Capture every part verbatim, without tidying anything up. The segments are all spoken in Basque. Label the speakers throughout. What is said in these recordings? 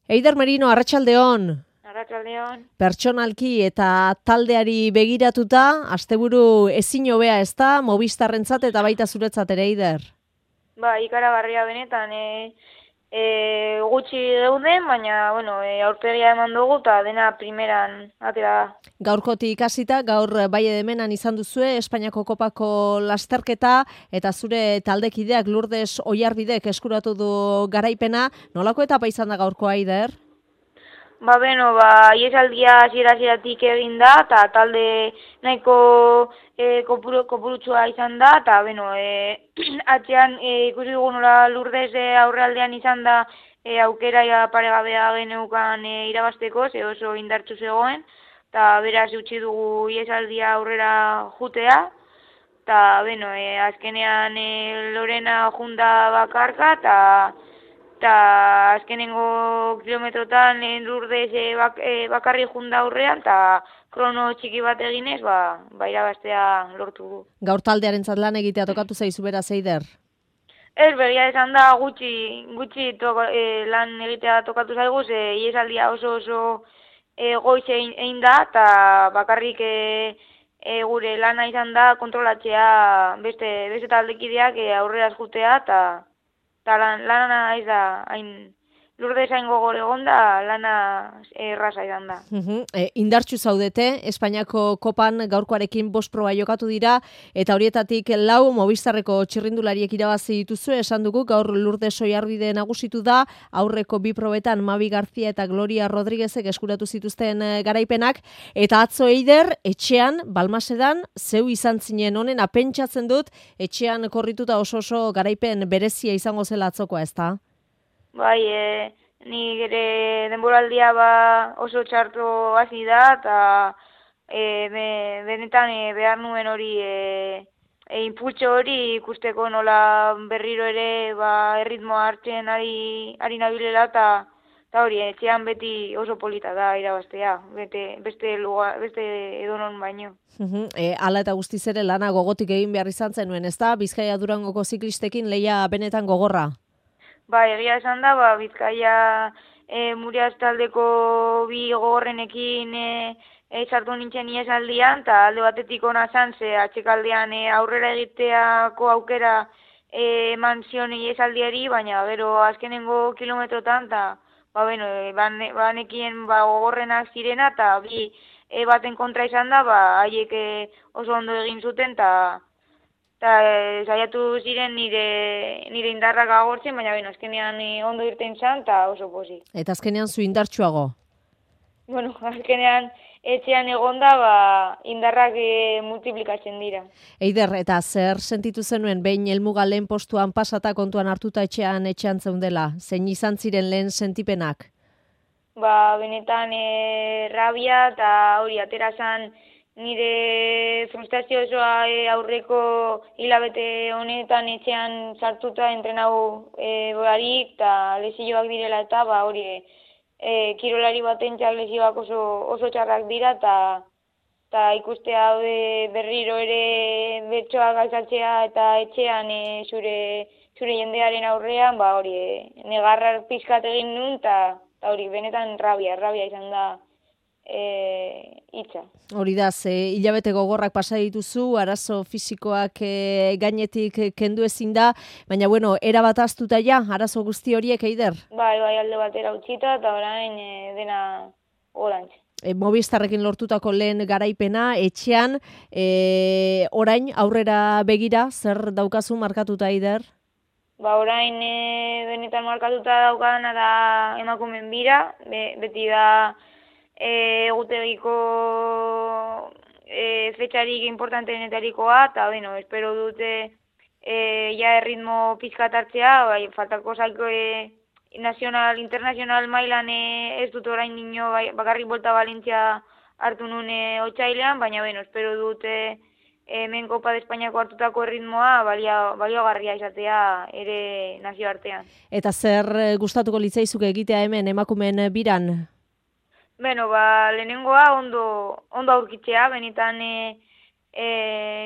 Speaker 1: Eider Merino, arratsaldeon.
Speaker 2: Arratsaldeon.
Speaker 1: Pertsonalki eta taldeari begiratuta, asteburu ezin hobea ez da, Movistarrentzat eta baita zuretzat ere, Eider.
Speaker 2: Ba, ikaragarria benetan, e, e, gutxi geuden, baina, bueno, e, aurpegia eman dugu eta dena primeran atera da.
Speaker 1: Gaurkotik hasita, gaur bai edemenan izan duzue, Espainiako Kopako lasterketa, eta zure taldekideak Lourdes Oiarbidek eskuratu du garaipena. Nolako etapa izan da gaurkoa, Eider?
Speaker 2: Ba, beno, ba, iesaldia hasiera-hasieratik egin da, eta talde nahiko e, kopuru, kopurutsua izan da, eta, beno, e, atzean e, ikusi dugu nola Lourdes e, aurrealdean izan da e, aukera ja paregabea geneukan e, irabasteko, ze oso indartsu zegoen, eta beraz utzi dugu iesaldia aurrera jutea, eta, beno, e, azkenean e, Lorena junda bakarka, eta eta azkenengo kilometrotan lehen Lourdes e, bak, e, bakarri junda aurrean, eta krono txiki bat eginez, ba, ba irabaztea lortu du.
Speaker 1: Gaur taldearentzat lan egitea tokatu zaizu beraz, Eider?
Speaker 2: Ez, begia esan da gutxi, gutxi toko, e, lan egitea tokatu zaigu, ze iesaldia oso oso e, goiz egin, egin da, eta bakarrik e, e, gure lana izan da kontrolatzea beste, beste taldekideak e, aurrera jutea, eta eta lan, lana ez da, hain Lourdes hain gogor egon da, lana erraza izan da.
Speaker 1: Uhum. E, indartsu zaudete, Espainiako Kopan gaurkoarekin bost proba jokatu dira, eta horietatik lau Movistarreko txirrindulariek irabazi dituzue, esan dugu gaur Lourdes Oiarbide nagusitu da, aurreko bi probetan Mavi García eta Gloria Rodríguezek eskuratu zituzten garaipenak, eta atzo, Eider, etxean, Balmasedan, zeu izan zinen honena, pentsatzen dut, etxean korrituta oso oso garaipen berezia izango zela atzokoa, ez da?
Speaker 2: Bai, e, ni ere denboraldia ba oso txarto hasi da, eta e, be, benetan e, behar nuen hori, e, e, impultso hori ikusteko nola berriro ere ba, erritmoa hartzen ari, ari nabilela, eta eta hori, etxean beti oso polita da irabaztea, bete, beste, lugar, beste edonon baino.
Speaker 1: Uhum. E, ala eta guztiz ere lana gogotik egin behar izan zenuen, ez da? Bizkaia Durangoko ziklistekin lehia benetan gogorra?
Speaker 2: Ba, egia esan da, ba, Bizkaia e, Muriaz taldeko bi gogorrenekin e, e, sartu nintzen iesaldian, eta alde batetik ona zan, ze atxekaldean e, aurrera egiteako aukera e, eman zion iesaldiari, baina gero azkenengo kilometrotan, eta ba, bueno, e, banekien ba, gogorrenak zirena, eta bi e, baten kontra izan da, ba, haiek e, oso ondo egin zuten, eta eta e, saiatu ziren nire, nire indarrak agortzen, baina beno, azkenean e, ondo irten zan, eta oso pozik.
Speaker 1: Eta azkenean zu indartsuago?
Speaker 2: Bueno, azkenean etxean egonda, ba, indarrak e, multiplikatzen dira.
Speaker 1: Eider, eta zer sentitu zenuen behin helmuga lehen postuan pasata kontuan hartuta etxean etxean zeundela? Zein izan ziren lehen sentipenak?
Speaker 2: Ba, benetan e, rabia eta hori atera zan, nire frustrazio osoa e, aurreko hilabete honetan etxean sartuta entrenau e, boarik eta lesioak direla, eta ba hori e, kirolari batentzak lesioak oso, oso txarrak dira, eta eta ikustea berriro ere bertsoak galtzatzea eta etxean e, zure, zure jendearen aurrean, ba hori e, negarrar pizkat egin nun, eta hori benetan rabia, rabia izan da E, itza.
Speaker 1: Hori da, ze hilabete gogorrak pasa dituzu, arazo fisikoak e, gainetik kendu ezin da, baina bueno, era bat aztuta ja, arazo guzti horiek, Eider?
Speaker 2: Bai, bai, alde batera utzita, eta orain e, dena gorantz.
Speaker 1: E, Movistarrekin lortutako lehen garaipena, etxean, e, orain aurrera begira, zer daukazu markatuta, Eider?
Speaker 2: Ba, orain e, benetan markatuta daukadana da emakumen bira, be, beti da egutegiko e, fetxarik importanteenetarikoa, eta bueno, espero dute e, ja erritmo pizkat hartzea, bai, faltako zaiko e, nazional, internazional mailan e, ez dut orain nino bai, bakarrik Volta Valentzia hartu nun e, otsailean, baina bueno, espero dute hemen Kopa de Espainiako hartutako erritmoa baliogarria izatea ere nazioartean.
Speaker 1: Eta zer gustatuko litzaizuk egitea hemen emakumeen biran?
Speaker 2: Beno, ba, lehenengoa ondo, ondo aurkitzea, benetan e, e,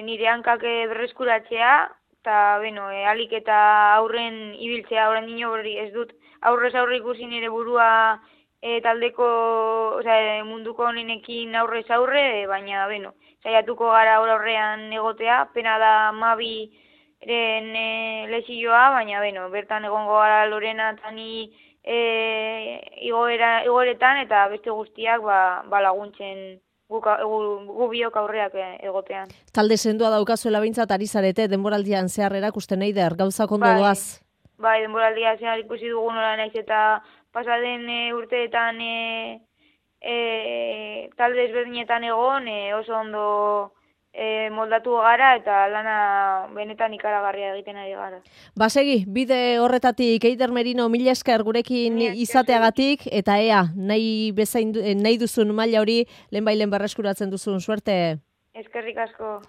Speaker 2: nire hankak berreskuratzea, eta, beno, e, alik eta aurren ibiltzea, orain dino hori ez dut aurrez aurre ikusi nire burua e, taldeko, osea, munduko honenekin aurrez aurre, baina, beno, saiatuko gara aurre aurrean egotea, pena da Mabi eren e, lesioa, baina, beno, bertan egongo gara Lorena eta ni e, igoera, igoeretan, eta beste guztiak ba, ba laguntzen gu, gu biok aurreak egotean.
Speaker 1: Talde sendoa daukazuela behintzat ari zarete, denboraldian zehar erakusten eider, gauzak ondo
Speaker 2: bai,
Speaker 1: doaz?
Speaker 2: Bai, denboraldia zehar ikusi dugu nola naiz eta pasaden e, urteetan e, e, talde ezberdinetan egon e, oso ondo e, moldatu gara eta lana benetan ikaragarria egiten ari gara.
Speaker 1: Basegi, bide horretatik Eider Merino mila esker gurekin izateagatik eta ea, nahi, bezain, nahi duzun maila hori lehenbailen berreskuratzen duzun suerte.
Speaker 2: Eskerrik asko.